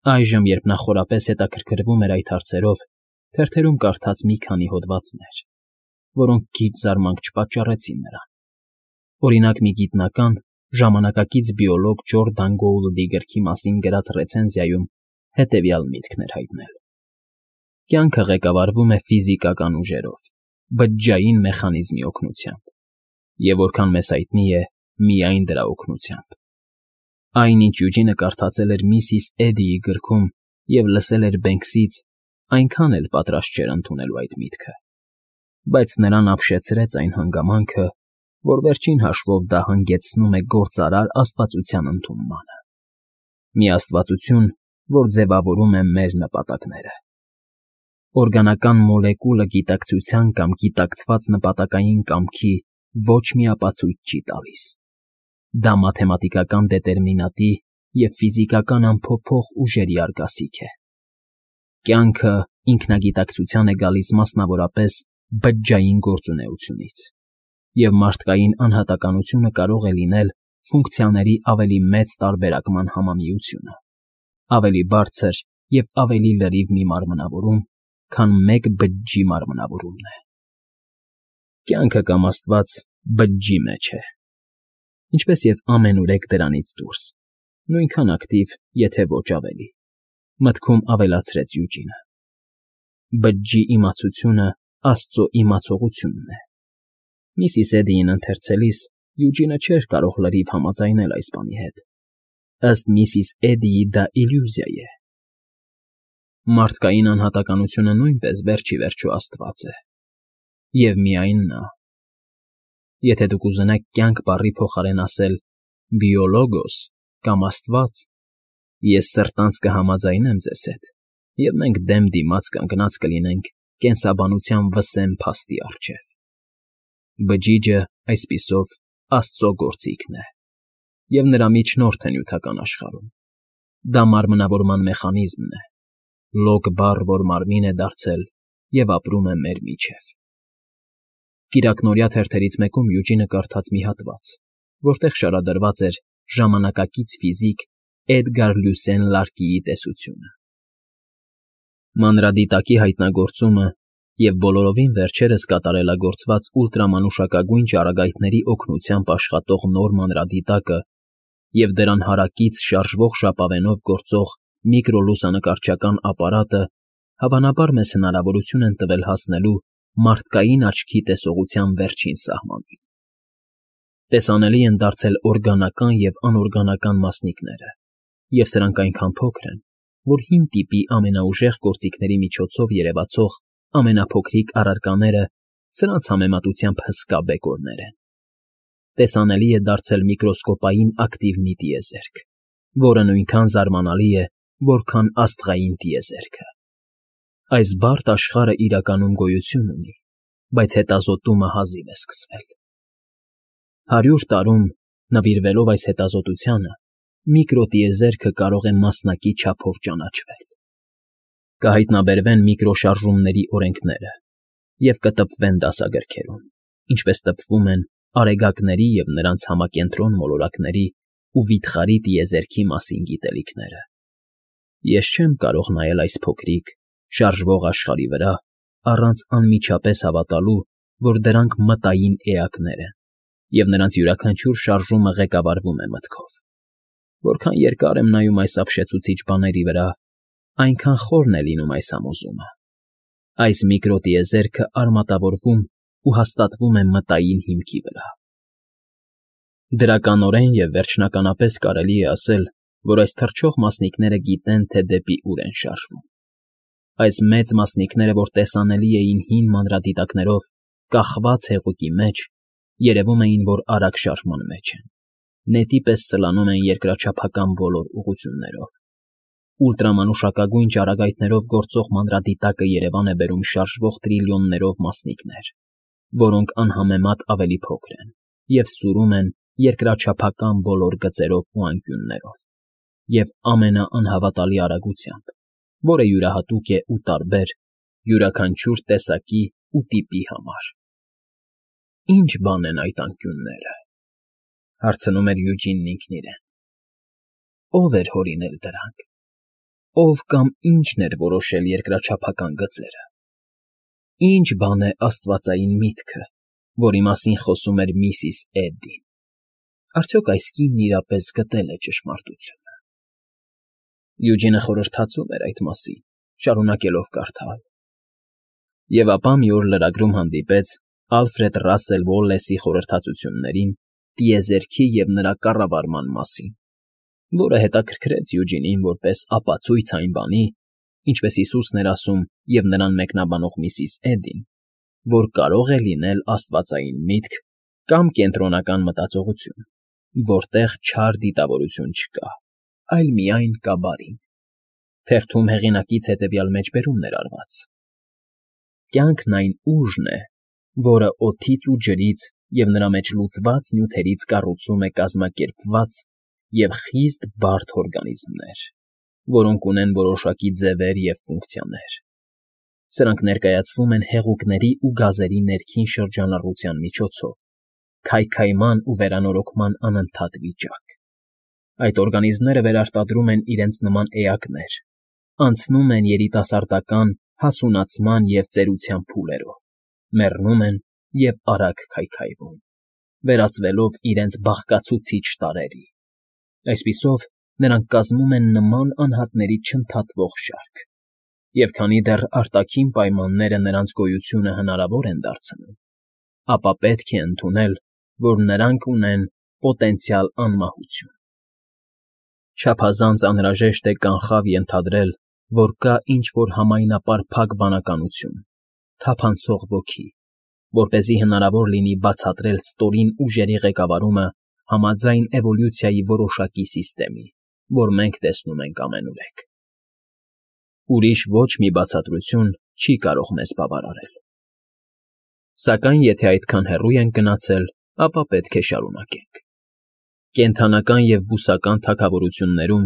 Այժմ, երբ նա խորապես հետաքրքրվում էր այդ հարցերով, թերթերում կարդաց մի քանի հոդվածներ, որոնք քիչ զարմանք չպատճառեցին նրան. օրինակ, մի գիտնական, ժամանակակից բիոլոգ Ջորդան Գոուլդի գրքի մասին գրած ռեցենզիայում հետևյալ միտքն էր հայտնել. կյանքը ղեկավարվում է ֆիզիկական ուժերով, բջջային մեխանիզմի օգնությամբ, և որքան մեզ հայտնի է, միայն դրա օգնությամբ։ Այն, ինչ Յուջինը կարդացել էր Միսիս Էդիի գրքում և լսել էր Բենքսից, այնքան էլ պատրաստ չէր ընդունելու այդ միտքը, բայց նրան ապշեցրեց այն հանգամանքը, որ վերջին հաշվով դա հանգեցնում է գործարար աստվածության ընդունմանը։ Մի աստվածություն, որ ձևավորում է մեր նպատակները։ Օրգանական մոլեկուլը գիտակցության կամ գիտակցված նպատակային կամքի ոչ մի ապացույց չի տալիս։ Դա մաթեմատիկական դետերմինատի և ֆիզիկական անփոփոխ ուժերի արգասիք է։ Կյանքը ինքնագիտակցության է գալիս մասնավորապես բջջային գործունեությունից, և մարդկային անհատականությունը կարող է լինել ֆունկցիաների ավելի մեծ տարբերակման համամիությունը, ավելի բարձր և ավելի լրիվ մի մարմնավորում, քան մեկ բջջի մարմնավորումն է։ Կյանքը կամ Աստված բջջի մեջ է, ինչպես և ամենուրեք դրանից դուրս, նույնքան ակտիվ, եթե ոչ ավելի, մտքում ավելացրեց Յուջինը։ Բջջի իմացությունը Աստծո իմացողությունն է։ Միսիս Էդիին ընթերցելիս Յուջինը չէր կարող լրիվ համաձայնել այս բանի հետ։ Ըստ Միսիս Էդիի դա իլյուզիա է։ Մարդկային անհատականությունը նույնպես վերջ ի վերջո Աստված է։ Եվ միայն նա։ Եթե դուք ուզենաք կյանք բառի փոխարեն ասել բիոլոգոս կամ Աստված, ես սրտանց կհամաձայնեմ ձեզ հետ, և մենք դեմ դիմաց կանգնած կլինենք կենսաբանության վսեմ փաստի առջև։ Բջիջը, այսպիսով, Աստծո գործիքն է, և նրա միջնորդը նյութական աշխարհում։ Դա մարմնավորման մեխանիզմն է, լոկ բառ, որ մարմին է դարձել և ապրում է մեր միջև։ Կիրակնօրյա թերթերից մեկում Յուջինը կարդաց մի հատված, որտեղ շարադրված էր ժամանակակից ֆիզիկ Էդգար Լյուսեն Լարկիի տեսությունը։ Մանրադիտակի հայտնագործումը և բոլորովին վերջերս կատարելագործված ուլտրամանուշակագույն ճառագայթների օգնությամբ աշխատող նոր մանրադիտակը և դրան հարակից շարժվող ժապավենով գործող միկրոլուսանկարչական ապարատը հավանաբար մեզ հնարավորություն են տվել հասնելու մարդկային աչքի տեսողության վերջին սահմանին։ Տեսանելի են դարձել օրգանական և անօրգանական մասնիկները, և սրանք այնքան փոքր են, որ հին տիպի ամենաուժեղ գործիքների միջոցով երևացող ամենափոքրիկ առարկաները սրանց համեմատությամբ հսկա բեկորներ են։ Տեսանելի է դարձել միկրոսկոպային ակտիվ մի տիեզերք, որը նույնքան զարմանալի է, որքան աստղային տիեզերքը։ Այս բարդ աշխարհը իրականում գոյություն ունի, բայց հետազոտումը հազիվ է սկսվել։ 100 տարում, նվիրվելով այս հետազոտությանը, միկրոտիեզերքը կարող է մասնակի չափով ճանաչվել։ Կհայտնաբերվեն միկրոշարժումների օրենքները և կտպվեն դասագրքերում, ինչպես տպվում են արեգակների և նրանց համակենտրոն մոլորակների ու վիթխարի տիեզերքի մասին գիտելիքները։ Ես չեմ կարող նայել այս փոքրիկ, շարժվող աշխարհի վրա առանց անմիջապես հավատալու, որ դրանք մտային էակներ են, և նրանց յուրաքանչյուր շարժումը ղեկավարվում է մտքով։ Որքան երկար եմ նայում այս ապշեցուցիչ բաների վրա, այնքան խորն է լինում այս համոզումը։ Այս միկրոտիեզերքը արմատավորվում ու հաստատվում է մտային հիմքի վրա։ Դրականորեն և վերջնականապես կարելի է ասել, որ այս թռչող մասնիկները գիտեն, թե դեպի ուր են շարժվում։ Այս մեծ մասնիկները, որ տեսանելի էին հին մանրադիտակներով կախված հեղուկի մեջ, երևում էին, որ արագ շարժման մեջ են, նետի պես սլանում են երկրաչափական բոլոր ուղղություններով։ Ուլտրամանուշակագույն ճառագայթներով գործող մանրադիտակը Երևան է բերում շարժվող տրիլիոններով մասնիկներ, որոնք անհամեմատ ավելի փոքր են և սուրում են երկրաչափական բոլոր գծերով ու անկյուններով, և ամենաանհավատալի արագությամբ, որը յուրահատուկ է ու տարբեր յուրաքանչյուր տեսակի ու տիպի համար։ «Ի՞նչ բան են այդ անկյունները», հարցնում էր Յուջինն ինքն իրեն։ «Ո՞վ էր հորինել դրանք։ ով կամ ինչն էր որոշել երկրաչափական գծերը։ Ինչ բան է աստվածային միտքը, որի մասին խոսում էր միսիս Էդդին։ Արդյոք այս կինն իրապես գտել է ճշմարտությունը։ Յուջինը խորհրդածում էր այդ մասին, շարունակելով կարդալ։ Եվ ապա մի օր լրագրում հանդիպեց Ալֆրեդ Ռասել Ուոլլեսի խորհրդածություններին տիեզերքի և նրա կառավարման մասին, որը հետաքրքրեց Յուջինին որպես ապացույց այն բանի, ինչպես Հիսուսն էր ասում և նրան մեկնաբանող միսիս Էդդին, որ կարող է լինել աստվածային միտք կամ կենտրոնական մտածողություն, որտեղ չար դիտավորություն չկա, այլ միայն կա բարին։ Թերթում հեղինակից հետևյալ մեջբերումն էր արված. Կյանքն այն ուժն է, որը օդից ու ջրից և նրա մեջ լուծված նյութերից կառուցում է կազմակերպված և խիստ բարդ օրգանիզմներ, որոնք ունեն որոշակի ձևեր և ֆունկցիաներ։ Սրանք ներկայացվում են հեղուկների ու գազերի ներքին շրջանառության միջոցով, քայքայման ու վերանորոգման անընդհատ վիճակ։ Այդ օրգանիզմները վերարտադրում են իրենց նման էակներ, անցնում են երիտասարդական, հասունացման և ծերության փուլերով, մեռնում են և արագ քայքայվում, վերածվելով իրենց բաղկացուցիչ տարրերի։ Այսպիսով, նրանք կազմում են նման անհատների չընդհատվող շարք, և քանի դեռ արտաքին պայմանները նրանց գոյությունը հնարավոր են դարձնում, ապա պետք է ընդունել, որ նրանք ունեն պոտենցիալ անմահություն։ Չափազանց անհրաժեշտ է կանխավ ենթադրել, որ կա ինչ-որ համայնապար փակ բանականություն, թափանցող ոգի, որպեսզի հնարավոր լինի բացատրել ստորին ուժերի ղեկավարումը համաձայն էվոլյուցիայի որոշակի սիստեմի, որ մենք տեսնում ենք ամենուրեք։ Ուրիշ ոչ մի բացատրություն չի կարող մեզ բավարարել։ Սակայն եթե այդքան հեռու ենք գնացել, ապա պետք է շարունակենք։ Կենդանական և բուսական թագավորություններում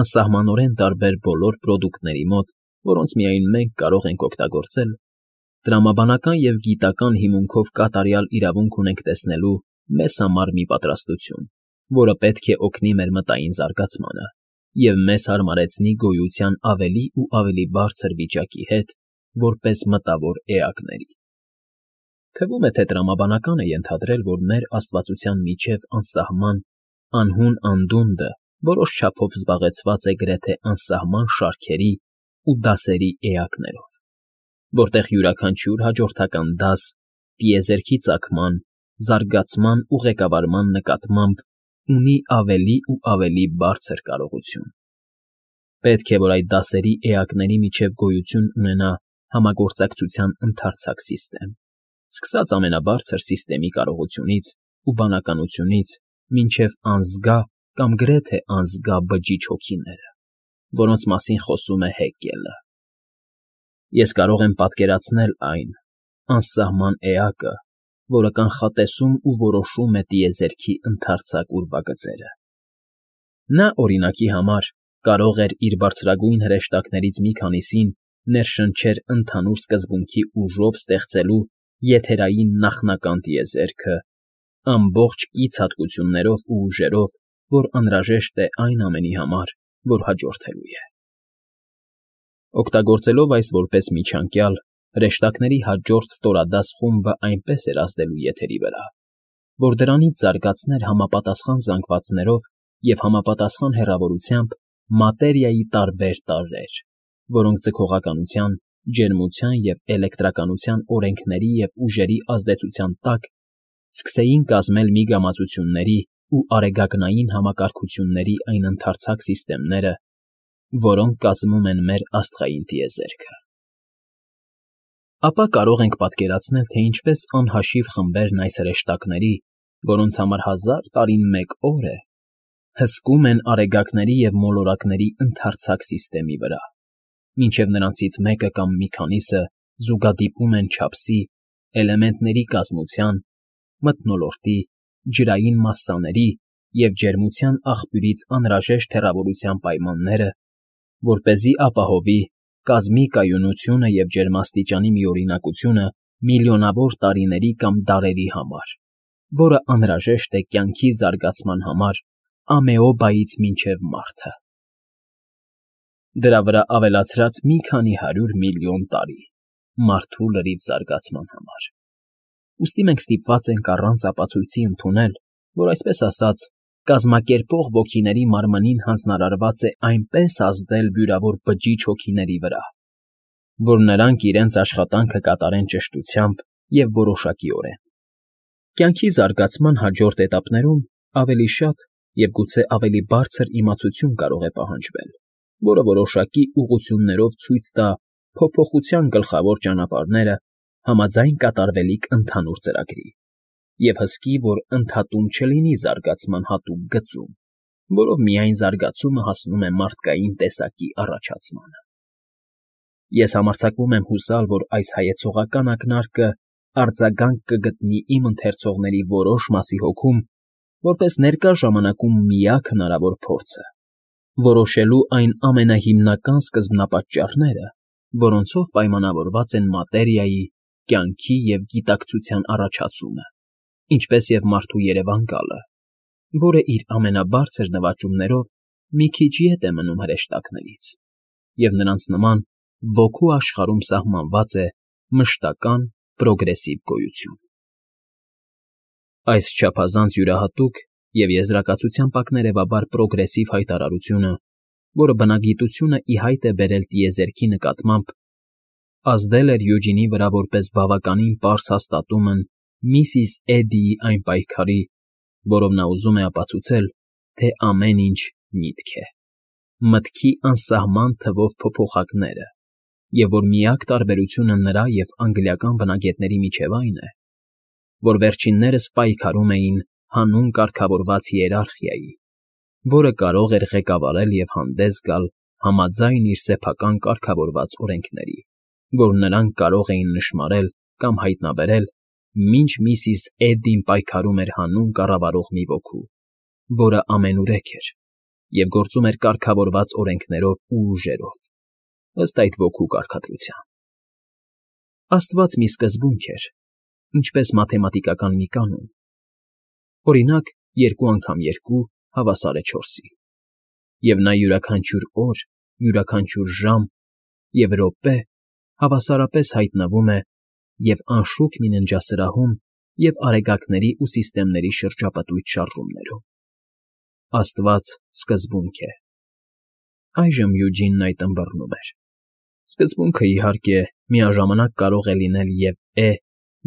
անսահմանորեն տարբեր բոլոր պրոդուկտների մոտ, որոնց միայն մենք կարող ենք օգտագործել, տրամաբանական և գիտական հիմունքով կատարյալ իրավունք ունենք տեսնելու մեզ համար մի պատրաստություն, որը պետք է օգնի մեր մտային զարգացմանը և մեզ հարմարեցնի գոյության ավելի ու ավելի բարձր վիճակի հետ, որպես մտավոր էակների։ Թվում է, թե տրամաբանական է ենթադրել, որ մեր աստվածության միջև անսահման, անհուն անդունդը որոշ չափով զբաղեցված է գրեթե անսահման շարքերի ու դասերի էակներով, որտեղ յուրաքանչյուր հաջորդական դաս տիեզերքի ծագման, զարգացման ու ղեկավարման նկատմամբ ունի ավելի ու ավելի բարձր կարողություն։ Պետք է, որ այդ դասերի էակների միջև գոյություն ունենա համագործակցության ընդարձակ սիստեմ, սկսած ամենաբարձր սիստեմի կարողությունից ու բանականությունից մինչև անզգա կամ գրեթե անզգա բջիջ հոգիները, որոնց մասին խոսում է Հեգելը։ Ես կարող եմ պատկերացնել այն անսահման էակը, որը կանխատեսում ու որոշում է տիեզերքի ընդարձակ ուրվագծերը։ Նա, օրինակի համար, կարող էր իր բարձրագույն հրեշտակներից մի քանիսին ներշնչեր ընդհանուր սկզբունքի ուժով ստեղծելու եթերային նախնական տիեզերքը, ամբողջ կից հատկություններով ու ուժերով, որ անհրաժեշտ է այն ամենի համար, որ հաջորդելու է։ Օգտագործելով այս որպես միջանկյալ, հրեշտակների հաջորդ ստորադաս խումբը այնպես էր ազդելու եթերի վրա, որ դրանից զարգացներ համապատասխան զանգվածներով և համապատասխան հեռավորությամբ մատերիայի տարբեր տարրեր, որոնք ձգողականության, ջերմության և էլեկտրականության օրենքների և ուժերի ազդեցության տակ սկսեին կազմել միգամածությունների ու արեգակնային համակարգությունների այն ընդարձակ սիստեմները, որոնք կազմում են մեր աստղային տիեզերքը։ Ապա կարող ենք պատկերացնել, թե ինչպես անհաշիվ խմբերն այս հրեշտակների, որոնց համար 1000 տարին մեկ օր է, հսկում են արեգակների և մոլորակների ընդարձակ սիստեմի վրա, մինչև նրանցից մեկը կամ մի քանիսը զուգադիպում են չափսի, էլեմենտների կազմության, մթնոլորտի, ջրային մասսաների և ջերմության աղբյուրից անհրաժեշտ հեռավորության պայմանները, որպեսզի ապահովի կազմի կայունությունը և ջերմաստիճանի միօրինակությունը միլիոնավոր տարիների կամ դարերի համար, որը անհրաժեշտ է կյանքի զարգացման համար ամեոբայից մինչև մարդը։ Դրա վրա ավելացրած մի քանի 100 միլիոն տարի մարդու լրիվ զարգացման համար։ Ուստի մենք ստիպված ենք առանց ապացույցի ընդունել, որ այսպես ասած, կազմակերպող ոգիների մարմնին հանձնարարված է այնպես ազդել վիրավոր բջիջ հոգիների վրա, որ նրանք իրենց աշխատանքը կատարեն ճշտությամբ և որոշակիորեն։ Կյանքի զարգացման հաջորդ էտապներում ավելի շատ և գուցե ավելի բարձր իմացություն կարող է պահանջվել, որը որոշակի ուղղություններով ցույց տա փոփոխության գլխավոր ճանապարհները համաձայն կատարվելիք ընդհանուր ծրագրի և հսկի, որ ընդհատում չլինի զարգացման հատուկ գծում, որով միայն զարգացումը հասնում է մարդկային տեսակի առաջացմանը։ Ես համարձակվում եմ հուսալ, որ այս հայեցողական ակնարկը արձագանք կգտնի իմ ընթերցողների որոշ մասի հոգում, որպես ներկա ժամանակում միակ հնարավոր փորձը, որոշելու այն ամենահիմնական սկզբնապատճառները, որոնցով պայմանավորված են մատերիայի, կյանքի և գիտակցության առաջացումը, ինչպես և մարդու երևան գալը, որը իր ամենաբարձր նվաճումներով մի քիչ ետ է մնում հրեշտակներից, և նրանց նման ոգու աշխարհում սահմանված է մշտական պրոգրեսիվ գոյություն։ Այս չափազանց յուրահատուկ և եզրակացության պատներևաբար պրոգրեսիվ հայտարարությունը, որը բնագիտությունը ի հայտ է բերել տիեզերքի նկատմամբ, ազդել էր Յուջինի վրա որպես բավականին պարզ հաստատումն միսիս Էդդիի այն պայքարի, որով նա ուզում է ապացուցել, թե ամեն ինչ միտք է, մտքի անսահման թվով փոփոխակները, և որ միակ տարբերությունը նրա և անգլիական բնագետների միջև այն է, որ վերջիններս պայքարում էին հանուն կարգավորված հիերարխիայի, որը կարող էր ղեկավարել և հանդես գալ համաձայն իր սեփական կարգավորված օրենքների, որ նրանք կարող էին նշմարել կամ հայտնաբերել, մինչ միսիս Էդդին պայքարում էր հանուն կառավարող մի ոգու, որը ամենուրեք էր և գործում էր կարգավորված օրենքներով ու ուժերով, ըստ այդ ոգու կարգադրության։ Աստված մի սկզբունք էր, ինչպես մաթեմատիկական մի կանոն, օրինակ, 2 × 2 հավասար է 4-ի, և նա յուրաքանչյուր օր, յուրաքանչյուր ժամ և րոպե հավասարապես հայտնվում է և անշուք մի ննջասրահում և արեգակների ու սիստեմների շրջապտույտ շարժումներում։ Աստված սկզբունք է։ Այժմ Յուջինն այդ ըմբռնում էր։ Սկզբունքը, իհարկե, միաժամանակ կարող է լինել և է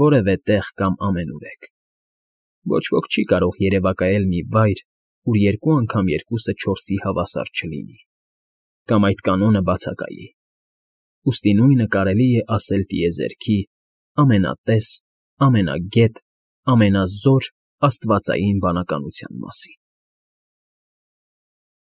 որևէ տեղ կամ ամենուրեք։ Ոչ ոք չի կարող երևակայել մի վայր, ուր 2 անգամ 2-ը 4-ի հավասար չլինի, կամ այդ կանոնը բացակայի։ Ուստի նույնը կարելի է ասել տիեզերքի ամենատես, ամենագետ, ամենազոր աստվածային բանականության մասին։